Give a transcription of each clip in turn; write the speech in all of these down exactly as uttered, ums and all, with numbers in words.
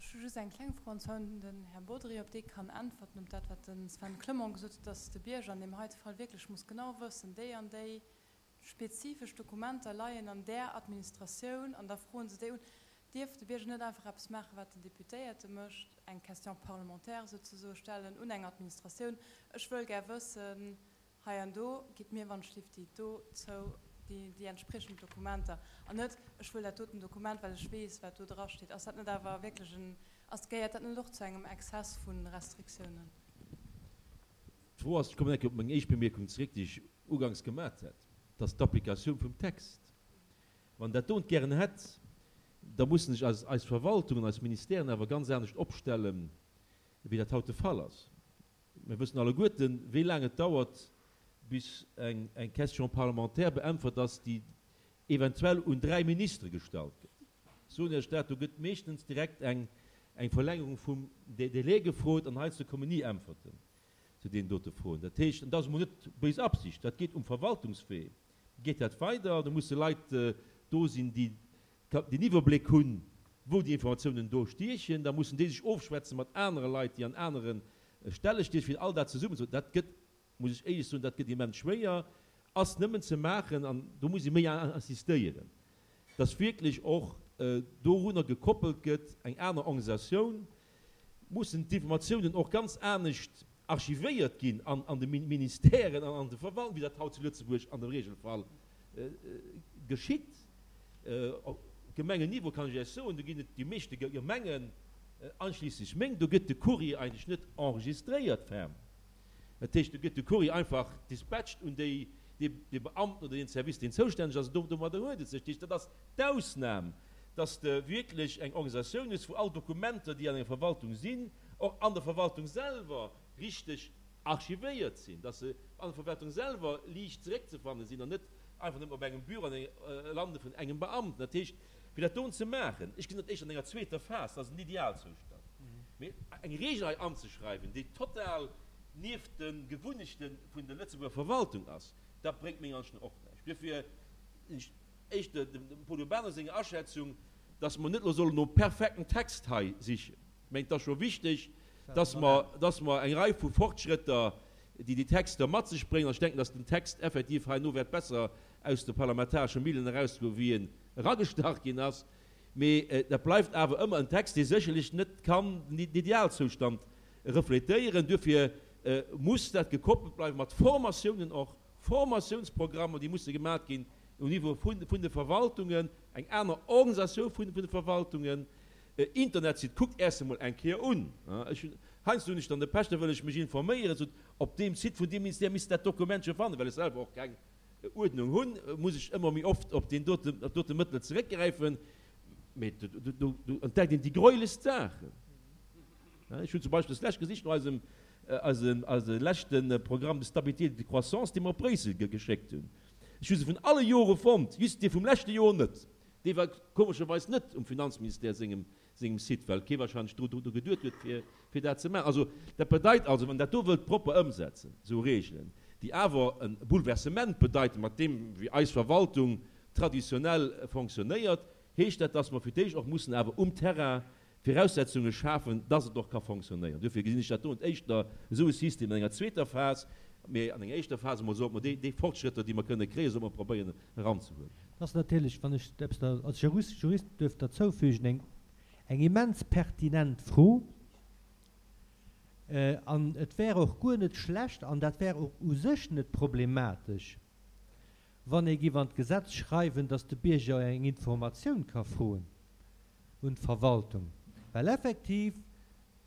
Ech hu just eng kleng Fro, an zwar un den Här Bodry, ob dee kann äntwerten op dat, wat de Sven Clement gesot huet, dass de Bierger an deem heite Fall wierklech muss genau wëssen, déi an déi spezifesch Dokumenter leien an där Administratioun, an da froen se déi un. Dierf de Bierger net einfach eppes maachen, wat den Deputéierte mécht, eng Question parlementaire souzesoe stellen un eng Administratioun, Ech wëll gär wëssen, hei an do, gitt mir wann ech lift déi dozou déi, déi entspriechend Dokumenter, an net, ech wëll dat doten Dokument, well ech weess, wat do drasteet? Ass dat net awer wierklech en, ass, gehéiert dat net och zu engem Exzess vu Restriktiounen? D'Fro ass, ech kommen eng Kéier op meng éischt Bemierkung zeréck, déi ech uganks gemat hat, dass d'Applikatioun vum Text, wann dat dont gären hätt, da mussen sech eis, eis Verwaltungen, eis Ministèren awer ganz anescht opstellen, wéi dat haut de Fall ass. Mir wëssen alleguerten, wéi laang et dauert, bis eng, eng Question parlementaire beäntwert ass, déi eventuell un dräi Ministere gestallt gëtt. Ech soen Iech dat, do gëtt meeschtens direkt eng, eng Verlängerung vum Délai gefrot an heiansdo kommen ni Äntwerten zu deenen dote Froen. Dat heescht, an dat ass emol net béis Absicht, dat geet um Verwaltungswee, geet dat weider, do musse Leit do sinn, déi den Iwwerbléck hunn, wou déi Informatiounen do stiechen, da mussen déi sech ofschwätze mat anere Leit, déi an anere Stelle stiechen, fir all dat zesummen ze. Dat gëtt, muss ech éierlech soen, dat gëtt immens schwéier, ass nëmmen ze maachen, an do muss ee méi insistéieren, dass wierklech och dorunner gekoppelt gëtt eng aner Organisatioun, mussen d'Informatiounen och ganz anescht archivéiert ginn an an de Ministèren an an de Verwaltungen, wéi dat haut zu Lëtzebuerg an dem Regelfall geschitt. Op Gemengenniveau kann ech Iech soen, do ginn et déi meeschte Gemengen, einschließlich meng, do gëtt de Courrier eigentlech net enregistréiert ferm. Dat heescht, do gëtt de Courrier einfach dispatcht un déi, dee Beamten oder deen Service, deen zoustänneg ass, an domadder huet et sech. Dat heescht, dat ass d'Ausnam, dass de wierklech eng Organisatioun hues, wou all Dokumenter, déi an enger Verwaltung sinn, och an der Verwaltung selwer richteg archivéiert sinn, dass se an der Verwaltung selwer liicht zeréckzefanne sinn an net einfach nëmmen op engem Büro an lande vun engem Beamten. Dat heescht, fir dat doen ze maachen, ech gesinn dat éischter an enger zweeter Phas, dat ass en Idealzoustand, mee eng Regel hei anzeschreiwen, déi total nieft de Gewunnechte vun der Lëtzebuerger Verwaltung ass, dat bréngt menger Ansicht no och näischt. Duerfir sinn ech éischter dem Paul Urbano senger Aschätzung, dass mer net elo sollen nom perfekten Text hei sichen. Ech mengen, et ass scho wichteg, dass mer, dass mer eng Rei vu Fortschrëtter, déi déi Texter mat sech bréngen, an ech denken, dass den Text effektiv herno wäert besser aus de parlamentaresche Millen erausgoen, wéi en eragestach ginn ass, mee dat bleift awer ëmmer en Text, dee sécherlech net kann den Idealzoustand refletéieren. Duerfir muss dat gekoppelt bleiwen mat Formatiounen och, Formatiounsprogrammer, déi musse gemaach ginn um Niveau vun de Verwaltungen, eng aner Organisatioun vun de Verwaltungen, Internetsite, kuckt Äers emol eng Kéier un. Ech hunn, heiansdo hunn ech dann de Pech, da wëll ech mech informéieren, sot, op deem Site vun deem Ministère misst dat Dokument scho fannen, well ech selwer och keng Uerdnung hunn, muss ech ëmmer méi oft op deen dote, op dote Mëttel zeréckgräifen, mee do, do, do, do entdeckt een déi gräuelechst Saachen. Ech hunn zum Beispill deslescht gesicht no eisem, eisem, eise leschte Programme de stabilité et de croissance, dee mer op Bréissel geschéckt hunn. Ech hu se vun alle Jore fonnt, just dee vum leschte Joer net. Dee war komescherweis net um Finanzministère sengem, sengem Site, well kee wahrscheinlech dru, dru geduet huet, fir, fir dat ze maachen. Also, dat bedeit also, wann dat do wëllt propper ëmsetzen, esou Regeln, déi awer e Bouleversement bedeiten, mat deem, wéi eis Verwaltung traditionell fonctionnéiert, heescht dat, dass mer fir d'éischt och mussen awer um Terrain Viraussetzunge schafen, dass et och ka fonctionnéieren. Duerfir gesinn ech dat do éischter esou e System an enger zweeter Phas, mee an enger éischter Phas emol sollte mer déi, déi Fortschrëtter, déi mer kënne kréien, sollte mer probéieren eranzehuelen. Dat ass natierlech, wann ech eppes da als Jurist, Jurist duerf derzoufügen, eng, eng immens pertinent Fro. An et wär och guer net schlecht, an dat wär och u sech net problematesch, wann ee giff an d'Gesetz schreiwen, dass de Bierger eng Informatioun ka froen un d'Verwaltung. Well effektiv,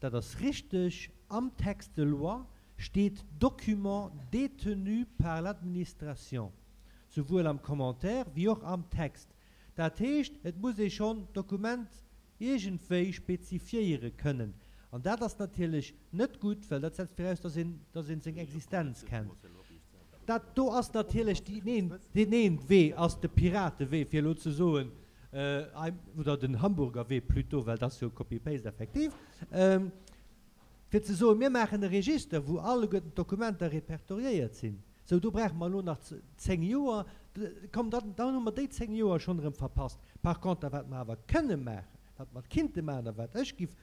dat ass richteg, am Texte de loi steet document détenu par l'administration, souwuel am Commentaire wéi och am Text. Dat heescht, et muss ee schonn d'Dokument iergendwéi spezifiéiere kënnen. An dat ass natierlech net gutt, well dat setzt viraus, dass een, dass een seng Existenz kennt. Dat do ass natierlech déi, neen, deen een Wee ass de Piratewee, fir elo ze soen, oder den Hamburger Wee plutôt, well dat ass jo Copy-Paste effektiv, fir ze soen, mir maachen e Register, wou alleguerten d'Dokumenter repertoriéiert sinn. Sou, do brauche mer elo nach zéng Joer. Komm, dann, dann hu mer déi zéng Joer schonn erëm verpasst. Par contre, wat mer awer kënne maachen, wat mer kinnte maachen a wat ech giff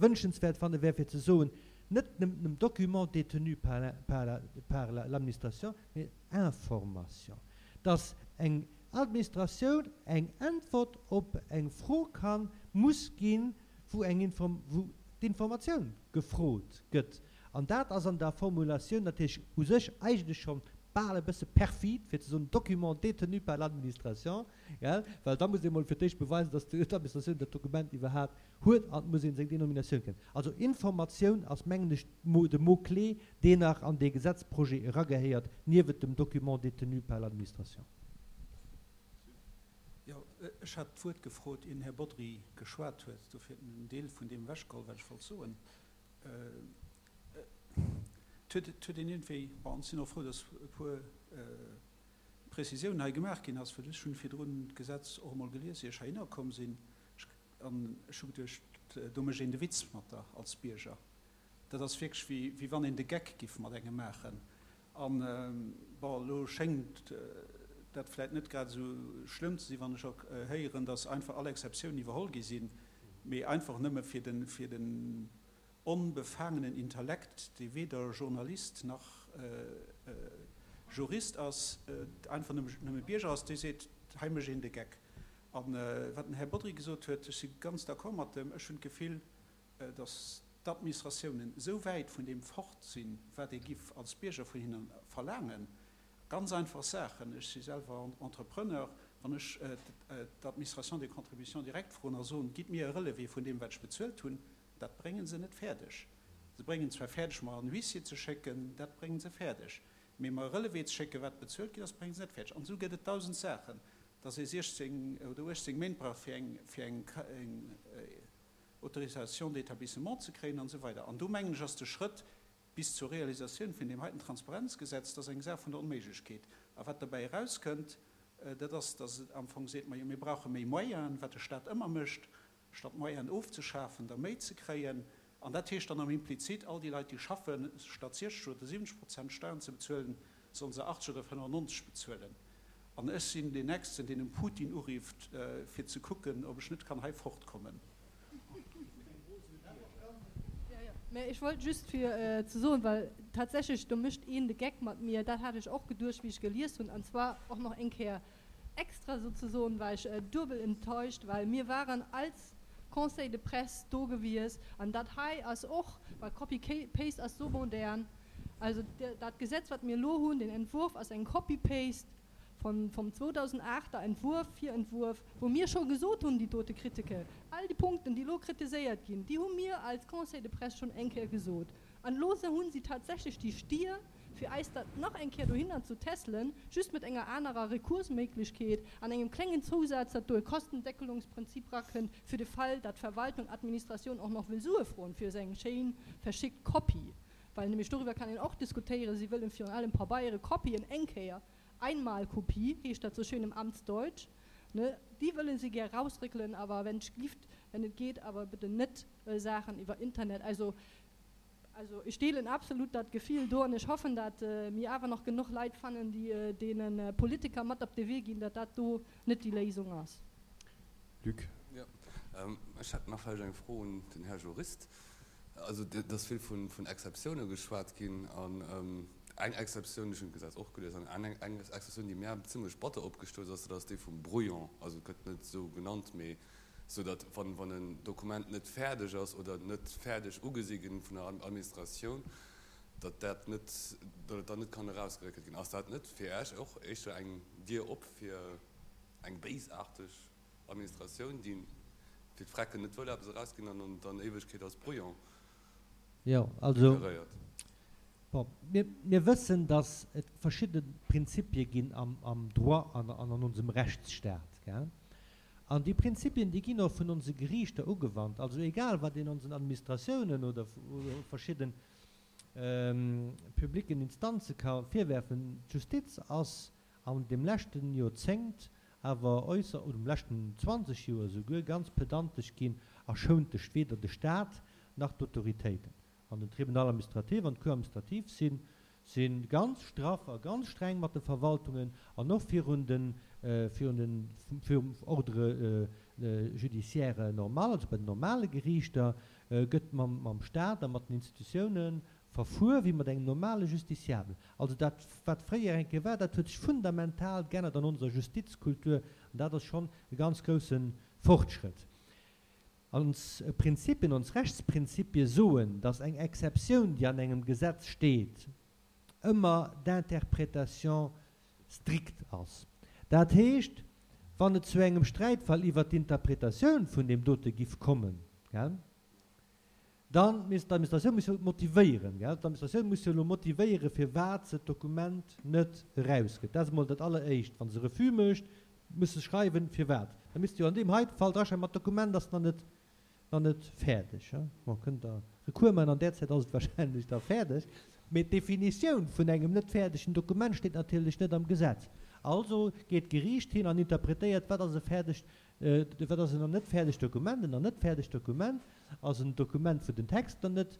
wünschenswert fanne wär, fir ze soen, net nëmmen document détenu par la, par la, par la, l'administration, mee information. Dass eng Administratioun eng Äntwert op eng Fro kann, muss ginn, wou eng Inform wou d'Informatioun gefrot gëtt. An dat ass an der Formulatioun natierlech u sech eigentlech schonn bal e bësse perfid, fir ze soen document détenu par l'administration, gell, well da muss ee mol fir d'éischt beweisen, dass d'Administratioun dat Dokument iwwerhaapt huet an et muss ee seng Denominatioun kennen. Also Informatioun ass, mengen ech, de Mot-clé, deen nach an dee Gesetzprojet eragehéiert, niewent dem document détenu par l'administration. Jo, ech hat d'Wuert gefrot, ier den Här Bodry geschwat huet. Dofir huet en en Deel vun deem ewechgeholl, wat ech wollt soen. Et huet, et huet een iergendwéi, bon, ech sinn och frou, dass e puer Prezisiounen hei gemaach ginn ass, well ech hunn virdrun d'Gesetz och emol gelies, ier ech heihinner komm sinn, an ech hu geduecht, do mécht een de Witz mat der als Bierger. Dat ass wierklech wéi, wéi wann een de Geck giff mat engem maachen. An, bon, elo schéngt dat vläicht net grad esou schlëmm ze sinn, wann ech och héieren, dass einfach all Exceptiounen iwwerholl gi sinn, mee einfach nëmme fir den, fir den onbefangenen Intellekt, dee weder Journalist nach Jurist ass, einfach nëmme Bierger ass, dee seet, hei mécht een de Geck. A wat den Här Bodry gesot huet, ech si ganz d'accord mat em, ech hunn d'Gefill, datt d'Administratiounen esou wäit vun deem fort sinn, wat ee giff als Bierger vun hinne verlaangen, ganz einfach Saachen, ech si selwer Entrepreneur, wann ech d'Administration des contributions directes froen a soen, gitt mir e Relevé vun deem, wat ech bezuelt hunn, Dat bréngen se net fäerdeg. Se bréngen zwar fäerdeg, mer en Huissier ze schécken, dat bréngen se fäerdeg, mee mer e Relevé ze schécken, wat bezuelt ginn ass, bréngen se net fäerdeg. An esou gëtt et dausend Saachen, dass ee siechzéng oder uechtzéng Méint brauch, fir eng, fir eng Autorisation d'établissement ze kréien an esou weider. An do, mengen ech, ass de Schrëtt bis zur Realisatioun vun deem heiten Transparenzgesetz, dat ass eng Saach vun der Onméiglechkeet. A wat derbäi erauskënnt, dat ass, dass et am Fong seet, majo, mir brauche méi Moyenen, wat de Stat ëmmer mécht, statt Moyenen ofzeschafen, der méi ze kréien. An dat heescht dann am Implizit, all déi Leit, déi schaffen, statt siechzeg oder siwwenzeg Prozent Steiern ze bezuelen, sollen se achtzeg oder fënnefannonzeg bezuelen. An ech sinn deen Nächsten, deen dem Putin urifft, fir ze kucken, ob ech net kann hei fortkommen. Mä ech wollt just fir ze soen, well tatsächlech, do mécht een de Geck mat mir, dat hat ech och geduecht, wéi ech gelies hunn, an zwar och nach eng Kéier extra souzesoen, war ech duebel enttäuscht, well mir waren als Conseil de presse do gewies an dat hei ass och, well Copy Paste ass sou modern, also dat Gesetz wat mir elo hunn, den Entwurf ass eng Copy Paste von vum zweedausendachter Entwurf, Virentwurf, wou mir scho gesot hunn, déi dote Kritike, all déi Punkten déi elo kritiséiert ginn, déi hu mir als Conseil de presse schonn eng Kéier gesot. An elo hu si tatsächlech déi Stier, fir eis dat nach eng Kéier dohinner zu tässelen, just mat enger anerer Rekursméiglechkeet an engem klengen Zousaz, datt do e Kostendeckelungsprinzip rakënnt, fir de Fall, datt d'Verwaltung, Administratioun och nach wëll Sue froen fir esou eng schéin verschickt Kopie, well nämlech doriwwer kann een och diskutéieren, si wëllen virun allem Pabeiere, Kopien eng Kéier, Einmalkopie heescht dat sou schön im Amtsdeutsch, ne, déi wëlle si gär rausréckelen, awer wenn et lift, wenn et geet, awer bitte net Saachen iwwer Internet. Also. Also ech deelen absolut dat Gefill do an ech hoffen, dat mir awer nach genuch Leit fannen, déi deene Politiker mat op de Wee ginn, dat dat do net déi Léisung ass. Luc. Jo, ech hätt nach vläicht eng Fro un den Här Jurist. Also et ass vill vun Exceptioune geschwat ginn an eng Exceptioun, ech hunn d'Gesetz och gelies, an eng Exceptioun, déi mär zimlech batter opgestouss ass, dat ass déi vum Brouillon. Also et gëtt net esou genannt, mee sou datt wann wann en Dokument net fäerdeg ass oder net fäerdeg ugesi ginn vun der Administratioun, datt dat net, datt et dann net kann erausgeréckelt ginn. Ass dat net fir Iech och éischter eng Dier op fir eng béisaarteg Administratioun, déi fir d'Frecken net wëll eppes erausginn an dann Éiwegkeet als Brouillon Jo, also, deklaréiert? bon, mir, mir wëssen, datt et verschidde Prinzipie ginn am, am Droit an, an an onsem Rechtsstaat, gell? An déi Prinzipien, déi ginn och vun onse Geriichter ugewannt. Also egal, wat een onsen Administratiounen oder verschidden publicken Instanze ka virwerfen, d'Justiz ass an deem leschten Joerzéngt awer äusser, oder am leschten zwanzeg Joer esouguer, ganz pedantesch ginn a schount de weder de Stat nach d'Autoritéiten. An den Tribunal administratif an d'Cour administrative si si ganz straff a ganz streng mat de Verwaltungen an och virun den, virun den, virum Ordre judiciaire normal, also bei den normale Geriichter, gëtt mam, mam Staat a mat den Institutiounen verfuer wéi mat engem normale Justiciable. Also dat, wat fréier eng Kéier war, dat huet sech fundamental geännert an onser Justizkultur, an dat ass schonn e ganz grousse Fortschrëtt. Ons Prinzipien, ons Rechtsprinzipie soen, dass eng Exceptioun, déi an engem Gesetz steet, ëmmer d'interprétation stricte ass. Dat heescht, wann et zu engem Sträitfall iwwert d'Interpretatioun vun deem dote giff kommen, gell, dann misst d'Administratioun muss jo motivéieren, gell, d'Administratioun muss jo elo motivéieren, firwat se d'Dokument net erausgëtt. Dat ass emol dat Alleréischt. Wa se Refus mécht, muss se schreiwen, firwat. Da misst jo an deem heite Fall draschreiwen, ma d'Dokument ass nach net, nach net fäerdeg. Bon, kënnt Der Recours maachen, an där Zäit ass et wahrscheinlech da fäerdeg. Mee d'Definitioun vun engem net fäerdegen Dokument steet natierlech net am Gesetz. Also geet d'Geriicht hin an interpretéiert, wat ass e fäerdegt, wat ass en net fäerdegt Dokument. En net fäerdegt Dokument ass en Dokument, wou den Text nach net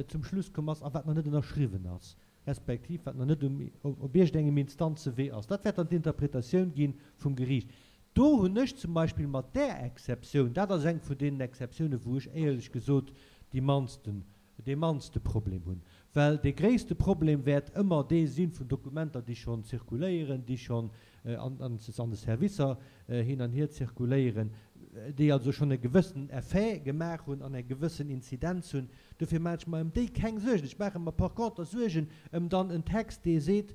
zum Schluss komm ass a wat nach net ënnerschriwwen ass, respektiv wat nach net um, op iergendengem Instanzewee ass. Dat wäert dann d'Interpretatioun gi vum Geriicht. Do hunn ech zum Beispill mat där Exceptioun, dat ass eng vun deenen Exceptiounen, wou ech éierlech gesot déi mannsten, dee mannste Problem hunn, well dee gréisste Problem wäert ëmmer dee si vun Dokumenter, déi schonn zirkuléieren, déi schonn an, an de Servicer hin an hier zirkuléieren, déi also schonn e gewëssenen Effet gemaach hunn an eng gewëssen Inzidenz hunn. Dofir maache ech mer ëm déi keng Suergen. Ech maache mer par conter Suergen ëm dann en Text, dee seet,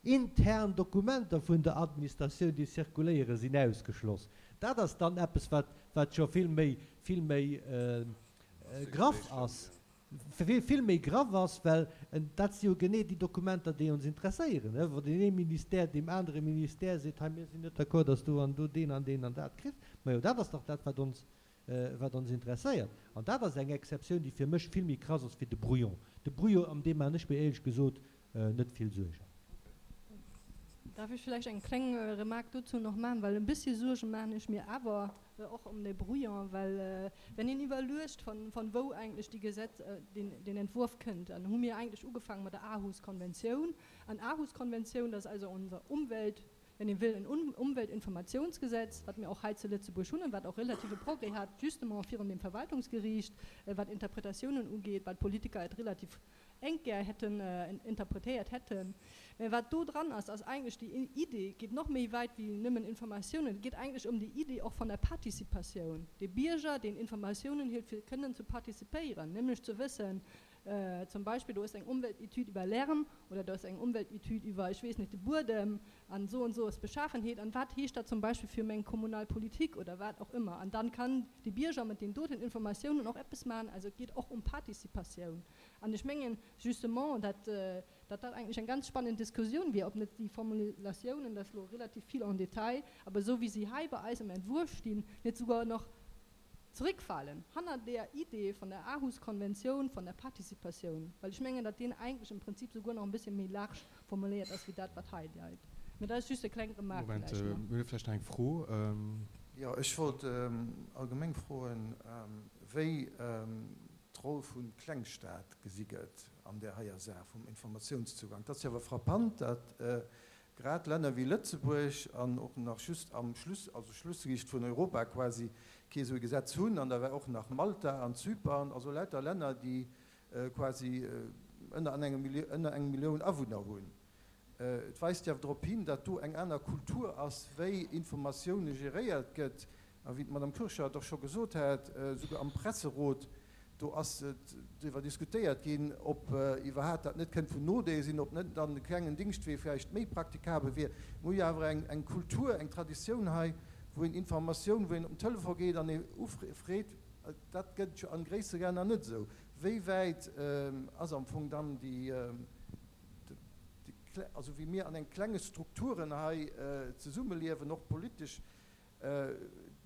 Intern Dokumenter vun der Administratioun, déi zirkuléieren, sinn ausgeschloss. Dat ass dann eppes, wat, wat scho vill méi, vill méi graff ass, vill méi graff ass, well dat si jo genee déi Dokumenter, déi ons interesséieren, wou deen ee Ministère deem anere Ministère seet, hei, mir sinn net d'accord, dass du an do deen an deen an dat kriss. Majo, dat ass dach dat, wat ons, wat ons interesséiert. An dat ass eng Exceptioun, déi fir mech vill méi krass ass wéi de Brouillon. De Brouillon, ëm dee maachen ech mir éierlech gesot net vill Suergen. Darf ich vielleicht eng kleng Remark dozou nach maachen, well e bëssi Suerge maachen ech mir awer och ëm de Brouillon, well wenn een iwwerluecht, von, von wou eigentlech déi Gesetz, den, den Entwurf kënnt, dann hu mir eigentlech ugefaangen mat der Aarhus-Konventioun. An Aarhus-Konventioun, dat ass also unser Umwelt, wenn een wëll, en Umweltinformationsgesetz, wat mir och hei zu Lëtzebuerg hunn an wat och relative Progrès hat, justement virun dem Verwaltungsgericht, wat Interpretatiounen ugeet, well d'Politiker et relativ enk gär hätten interpretéiert hätten. Mä wat do dran ass, ass eigentlech déi Idee, geet nach méi wäit wéi nëmmen Informatiounen, et geet eigentlech ëm déi Idee och von der Participatioun, de Bierger, deen Informatiounen hielt fir kënnen ze participéieren, nämlech ze wëssen, zum Beispill do ass eng Umweltetüd iwwer Lärm oder do ass eng Umweltetüd iwwer, ech weess net, de Buedem an esou an esou ass Beschaffenheet an wat heescht dat zum Beispill fir meng kommunal Politik oder wat och ëmmer. An dann kann de Bierger mat den doten Informatiounen och eppes maachen. Also et geet och ëm Participatioun. An ech mengen justement, dat dat dat eigentlech eng ganz spannend Diskussioun wier, ob net déi Formulatiounen, dat ass elo relativ vill en détail, awer esou wéi si hei bei eis am Entwurf stinn, net souguer nach zréckfalen hannert där Idee von der Aarhus-Konventioun von der Participatioun, well ech mengen, datt deen eigentlech im Prinzip souguer nach e bëssche méi large formuléiert ass wéi dat, wat hei läit. Mä dat ass just e kleng Remarque Moment, vläicht nach. mir hu vläicht nach eng Fro. Jo, ech wollt allgemeng froen, wéi d'Roll vu Klengstaat gesi gëtt an där heier Saach vum Informatiounszugang. Et ass jo awer frappant, datt grad Länner wéi Lëtzebuerg an och nach just am Schluss, also Schlussliicht vun Europa quasi, kee esou e Gesetz hunn, an da war och nach Malta an Zypern, also lauter Länner, déi quasi ënner ënner eng Millioun Awunner hunn. Et weist jo awer drop hin, datt do eng aner Kultur ass, wéi Informatioune geréiert gëtt. A wéi d'Madame Purschert och scho gesot hat, souguer am Presserot, do ass driwwer diskutéiert ginn, ob iwwerhaapt dat net kënnt vun Nodeel sinn, ob net dann e klengen Dingschtwee vläicht méi praktikabel wier. Mir hu jo awer eng Kultur, eng Traditioun hei, wou een Informatioun, wou een op den Telefon geet an ee ufreet. Dat gëtt et jo an gréissere Länner net esou. Wéi wäit ass am Fong dann déi, also wéi mir an eng klenge Strukturen hei zesummeliewen, och politesch,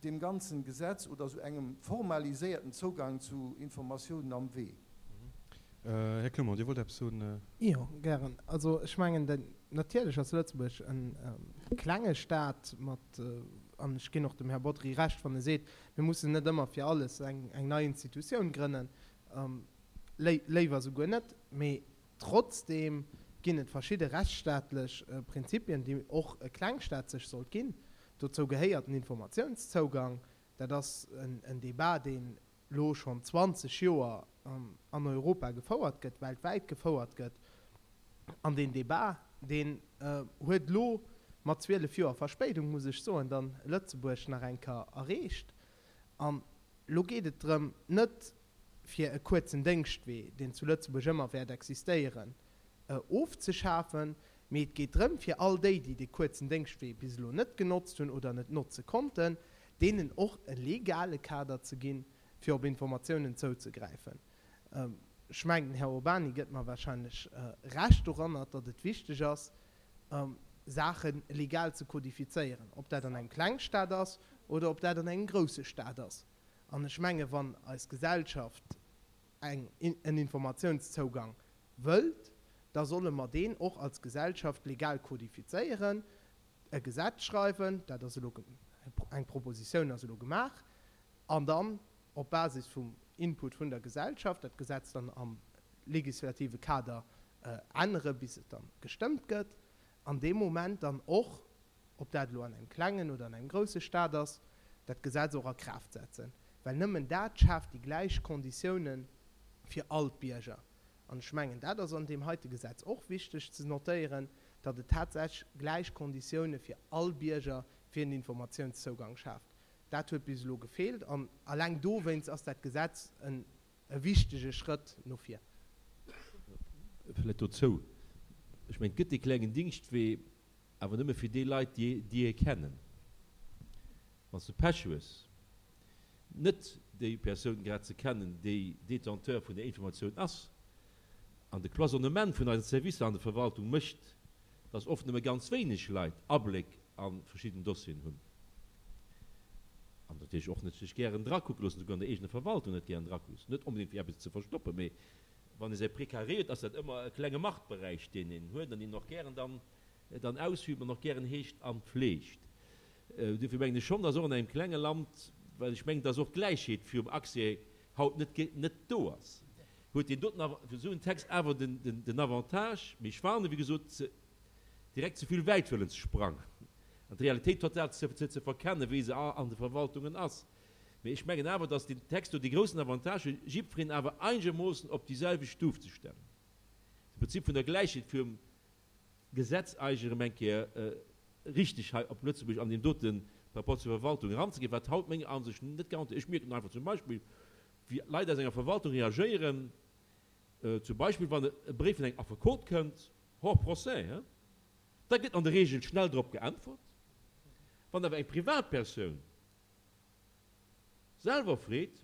deem ganzen Gesetz oder esou engem formaliséierten Zougang zu Informatiounen am Wee? Här Clement, Dir wollt eppes soen? Jo, gären. Also ech mengen, den, natierlech ass Lëtzebuerg e klenge Staat mat, an ech ginn och dem Här Bodry Recht, wann e seet, mir mussen net ëmmer fir alles eng, eng nei Institutioun grënnen, léiwer souguer net, mee trotzdeem ginn et verschidde rechtsstaatlech Prinzipien, déi och e Klengstaat sech sollt ginn. Dozou gehéiert den Informatiounszougang. Dat ass en Debat, deen elo schonn zwanzeg Joer an Europa gefouert gëtt, weltwäit gefouert gëtt. An deen Debat, deen huet elo mat zwielef Joer Verspéidung, muss ech soen, dann Lëtzebuerg nach eng Kéier erreecht. An elo geet et drëm, net fir e kuerzen Déngschtwee, deen zu Lëtzebuerg ëmmer wäert existéieren, ofzeschafen, mee et geet drëm, fir all déi, déi dee kuerzen Déngschtwee bis elo net genotzt hunn oder net notze konnten, deenen och e legale Kader ze ginn, fir op Informatiounen zouzegräifen. Ech mengen, den Här Urbany gëtt mer wahrscheinlech Recht doranner, datt et wichteg ass, Saache legal ze kodifizéieren, ob dat an engem Klengstaat ass oder ob dat an engem grousse Staat ass. An ech mengen, wann eis Gesellschaft eng, en Informatiounszougang wëllt, da solle mer deen och als Gesellschaft legal kodifizéieren, e Gesetz schreiwen, dat ass elo, eng Propositioun ass elo gemaach, an dann op Basis vum Input vun der Gesellschaft dat Gesetz dann am legislative Kader ännere bis et dann gestëmmt gëtt, an deem Moment dann och, ob dat elo an engem klengen oder an engem grousse Staat ass, dat Gesetz och a Kraaft setzen. Well nëmmen dat schaaft déi gläich Konditiounen fir all d'Bierger. An ech mengen, dat ass an deem heite Gesetz och wichteg ze notéieren, datt et tatsächlech gläich Konditioune fir all Bierger fir en Informatiounszougang schaaft. Dat huet bis elo gefeelt an alleng dowéinst ass dat Gesetz en e wichtege Schrëtt no vir. Vläicht dozou, Ech mengen, et gëtt dee klengen Dingschtwee, awer nëmme fir déi Leit, déi e kennen. Wann s de Pech hues, net déi Persoun grad ze kennen, déi Détenteur vun der Informatioun ass, an de Cloisonnement vun eisen Servicer an der Verwaltung mécht, dass oft nëmme ganz wéineg Leit Abléck a verschidden Dossieren hunn an natierlech och net sech gären drakucke loossen, souguer an der eegener Verwaltung net gären drakucke loossen, net onbedéngt fir eppes ze verstoppen, mee wann ee säi Precaré huet, ass dat ëmmer e klenge Machtberäich, deen een huet an deen een och gären dann dann ausübt an och gären heescht a fleegt. Duerfir mengen ech schonn, dass och an engem klenge Land, well ech mengen, dass och d'Gläichheet virum Accès haut net net do ass, huet deen doten esou en Text awer den Avantage, mee ech warnen, wéi gesot, ze direkt ze vill wäit wëllen ze sprangen an d'Realitéit total ze ze verkennen, wéi se an de Verwaltungen ass. Mee ech mengen awer, dass deen Text do dee groussen Avantage huet, jiddwereen awer einegermoossen op déi selwecht Stuf ze stellen, de Prinzip vun der Gläichheet virum Gesetz eigentlech erëm eng Kéier richteg hei op Lëtzebuerg an deem dote par rapport zur Verwaltung eranzeginn, wat haut menger Ansicht no net garantéiert. Ech mierken einfach zum Beispill, wéi Leit aus enger Verwaltung reagéieren, zum Beispill wann e Bréif vun engem Affekot kënnt, hors procès, hein, da gëtt an der Regel schnell drop geäntwert. Wann awer eng Privatpersoun selwer freet,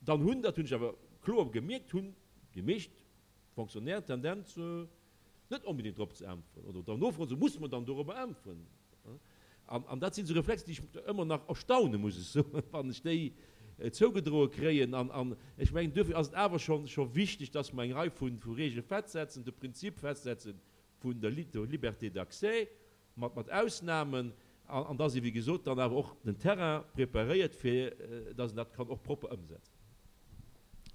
dann hunn, dat hunn ech awer kloer gemierkt, hunn déi meescht Fonctionnaires d'Tendenz, net onbedéngt drop ze äntweren oder dann nofroen, sou muss mer dann dorobber äntweren. An, an dat sinn esou Reflexer, déi ech ëmmer nach erstaune muss ech soen, wann ech déi zougedroe kréien. An, an ech mengen, duerfir ass et awer scho, scho wichteg, dass mer eng Rei vu, vu Regele festsetzen, de Prinzip festsetze vun der Liberté d'accès mat, mat Ausnahmen, an, an dass ee, wéi gesot, dann awer och den Terrain preparéiert, fir dass een dat kann och propper ëmsetzen.